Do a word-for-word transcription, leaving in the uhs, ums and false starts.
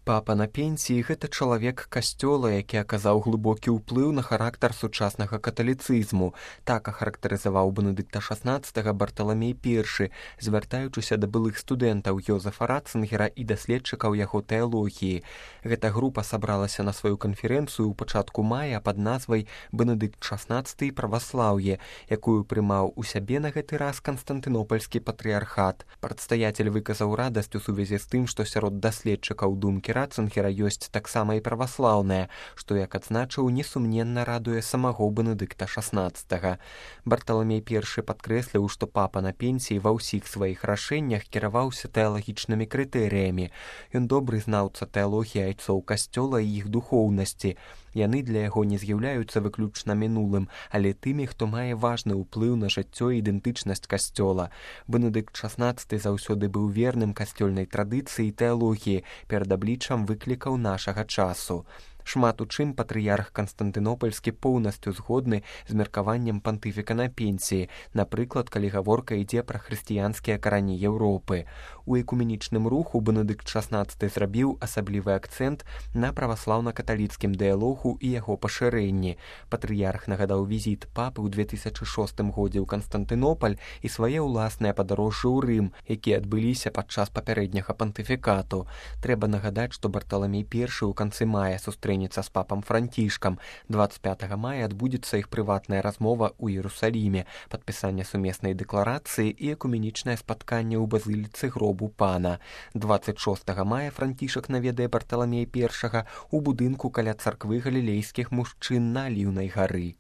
Папа на пенсіі – гэта чалавек касцёла, які аказаў глыбокі ўплыў на характар сучаснага каталіцызму. Так ахарактарызаваў Бенедыкта шаснаццатага Барталамей першы, звяртаючыся да былых студэнтаў Йозефа Ратцынгера і даследчыкаў яго тэалогіі. Гэта група сабралася на сваю канферэнцыю ў пачатку мая пад назвай «Бенедыкт шаснаццаты і праваслаўе», якую прымаў у сябе на гэты раз Канстантынопальскі патрыярхат. Прадстаяцель выказаў радасць у сувязі з тым, што сярод даследчыкаў думкі Ратцынгера ёсць таксама і праваслаўная, што, як адзначыў, несумненна радуе самого Бенедыкта шаснаццатага. Барталамей першы падкрэсліў, што папа на пенсіі ва ўсіх сваіх рашэннях кіраваўся тэалагічнымі крытэрыямі. Ён добры знаўца тэалогіі айцоў касцёла і іх духоўнасці. Яны для яго не з'яўляюцца выключна мінулым, але тымі, хто мае важны ўплыў на жыццё і ідэнтычнасць касцёла. Бенедыкт шаснаццаты заўсёды быў верным касцёльнай традыцыі і тэалогіі перад абліччам выклікаў нашага часу. Шмат у чым патрыярх Канстантынопальскі поўнасцю згодны з меркаваннем пантыфіка на пенсіі, напрыклад, калі гаворка ідзе пра хрысціянскія карані Еўропы. У экуменічным руху Бенедыкт шаснаццаты зрабіў асаблівы акцэнт на праваслаўна-каталіцкім дыялогу і яго пашырэнні. Патрыярх нагадаў візіт папы ў две тысячы шостым годзе ў Канстантынопаль і свае ўласныя падарожжы ў Рым, якія адбыліся падчас папярэдняга пантыфікату. Трэба нагадаць, што Барталамей першы ў канцы мая сустрэнецца з папам Францішкам. дваццаць пятага мая адбудзецца іх прыватная размова ў Іерусаліме, падпісанне сумеснай дэкларацыі і экуменічнае спатканне ў базыліцы гробу пана. дваццаць шостага мая Францішак наведае Барталамея першага ў будынку каля царквы галілейскіх мужчын на Аліўнай гары.